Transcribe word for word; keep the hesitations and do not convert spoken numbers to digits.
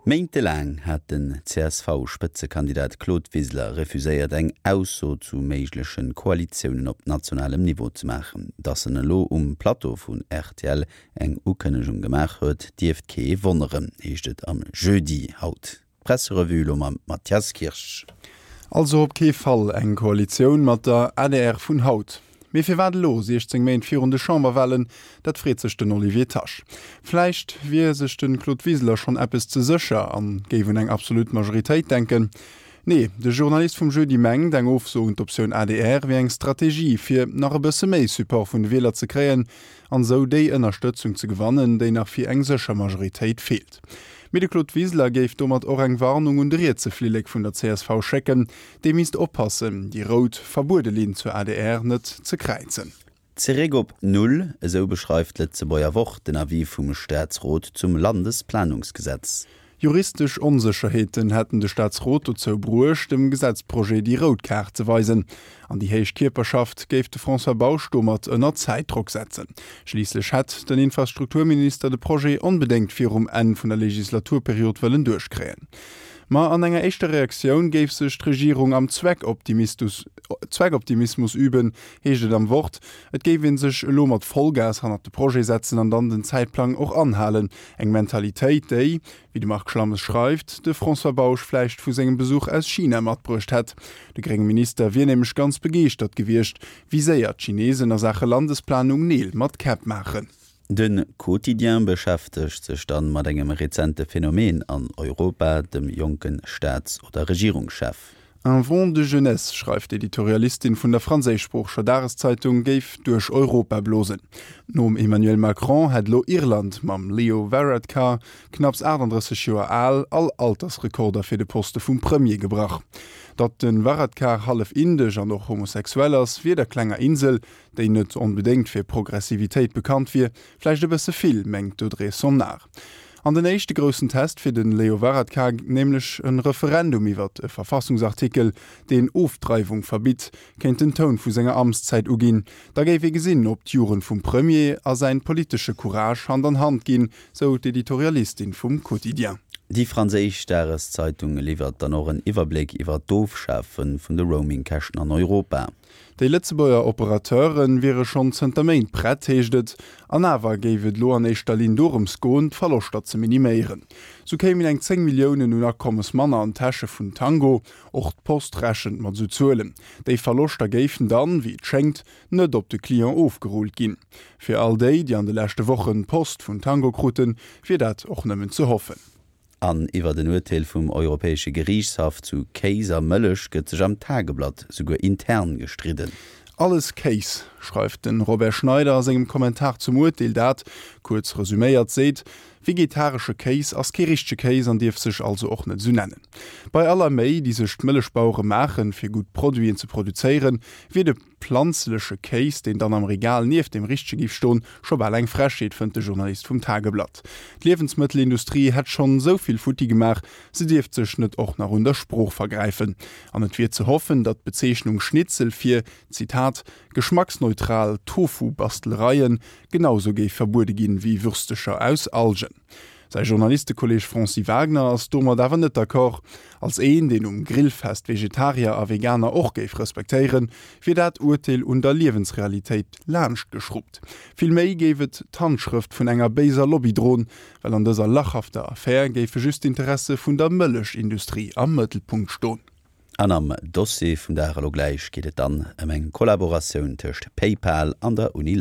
Méintelaang hat den C S V-Spëtzekandidat Claude Wiseler refuséiert, eng Ausso zu méigleche Koalitiounen op nationalem Niveau ze maachen. Datt en elo um Plateau vun R T L eng Ukënnegung gemaach huet, dierft kee wonneren, heescht et am Jeudi haut. Presserevue lo mam Mathias Kirsch. Also op kee Fall eng Koalitioun mat der A D R vun haut. Mee firwat elo, siechzéng Méint virun de Chamberwalen, dat freet sech den Olivier Tasch. Vläicht wier sech de Claude Wiseler schonn eppes ze sécher an géif un eng absolut Majoritéit denken. Nee, de Journalist vum Jeudi mengt, eng Ofso un d'Optioun A D R wier eng Strategie, fir nach e bësse méi Support vun de Wieler ze kréien an esou déi Ënnerstëtzung ze gewannen, déi nach fir eng sécher Majoritéit feelt. Mee de Claude Wiseler géif domat och eng Warnung un de rietse Flillek vun der C S V schécken, dee misst oppassen, déi rout verbuede Linn zur A D R net ze kräizen. Zeréck op Null, esou beschreift d'Lëtzebuerger Wort den Avis vum Staatsrot zum Landesplanungsgesetz. Juristesch Onsécherheeten hätten de Staatsrot dozou bruecht, dem Gesetzprojet déi rout Kaart ze weisen. An déi héich Kierperschaft géif de François Bausch domat ënner Zäitdrock setzen. Schliisslech hätt den Infrastrukturminister de Projet onbedéngt virum Enn vun der Legislaturperiod wëllen duerchkréien. Ma an enger éischter Reaktioun géif sech d'Regierung am Zweckoptimismus üben, heescht et am Wort, et géif ee sech elo mat Vollgas hannert de Projet setzen an dann den Zäitplang och anhalen. Eng Mentalitéit, déi, wéi de Marc Schlammes schreift, de François Bausch vläicht vu sengem Besuch aus China matbruecht hätt. De grénge Minister wier nämlech ganz begeeschtert gewiescht, wéi séier d'Chinesen a Saache Landesplanung Neel mat Käpp maachen. De Quotidien beschäftegt sech dann mat engem rezente Phänomen an Europa, dem jonke Staats- oder Regierungschef. Un vent de jeunesse, schreift d'Editorialistin vun der franséischsproocheger Dageszeitung, géif duerch Europa blosen. Nom Emmanuel Macron hätt lo Irland mam Leo Varadkar, knapps aachtanddrësseg Joer al, all Altersrekorder fir de Poste vum Premier gebrach. Datt de Varadkar hallef indesch an och homosexuell ass, wier der klenger Insel, déi net onbedéngt fir Progressivitéit bekannt wier, vläicht e bësse vill, mengt d'Audrey Somnard. An den éischte groussen Test fir den Leo Varadkar, nämlech e Referendum iwwer e Verfassungsartikel, deen Ofdreiwung verbitt, kéint den Toun vu senger Amtszäit uginn. Da géif ee gesinn, ob d'Jugend vum Premier a säin politesche Courage Hand an Hand ginn, sou d'Editorialistin vum Quotidien. Déi franséisch Dageszeitung liwwert dann och en Iwwerbléck iwwer d'Ofschafe vun de Roamingkäschten an Europa. Déi Lëtzebuerger Operateure wiere schonn zënter Méint prett, heescht et, an awer géif et lo an éischter Linn dorëms goen, d'Verloschter ze miniméieren. Sou kéimen eng zéng Milliounen un Akommes manner an d'Täsche vun Tango, och d'Post rechent mat sou Zuelen. Déi Verloschter géifen dann, wéi et schéngt, net op de Client ofgerullt ginn. Fir all déi, déi an de leschte Wochen Post vun Tango kruten, wier dat och nëmmen ze hoffen. An iwwer den Urteel vum Europäesche Geriichtshaff zu Kéis a Mëllech gëtt sech am Tageblatt souguer intern gestridden. Alles Kéis, schreift den Robert Schneider a sengem Kommentar zum Urteel, dat, kuerz resuméiert, seet, Vegetaresche Kéis ass kee richtege Kéis an dierf sech also och net sou nennen. Bei aller Méi, déi sech d'Mëllechbauere maachen, fir gutt Produiten ze produzéieren, wier de planzleche Kéis, deen dann am Regal nieft dem richtege géif stoen, scho bal eng Frechheet, fënnt de Journalist vum Tageblatt. D'Liewensmëttelindustrie hätt schonn esou vill futti gemaach, se dierft sech net och nach un der Sprooch vergräifen. An et wier ze hoffen, datt d'Bezeechnung Schnitzel fir, Zitat, geschmacksneutral Tofu-Bastelereien genau sou géif verbuede ginn wéi Würstecher aus Algen. Säi Journalistekolleeg Francis Wagner ass domat awer net d'accord. Als een, deen um Grillfest Vegetarier a Veganer och géif respektéieren, wier dat Urteel un der Liewensrealitéit laanschtgeschruppt. Vill méi géif et d'Handschrëft vun enger béiser Lobby droen, well an dëser lachhafter Affär géife just d'Interesse vun der Mëllechindustrie am Mëttelpunkt stoen. An am Dossier vum Dag elo gläich geet et dann ëm eng Kollaboratioun tëscht PayPal an der Uni.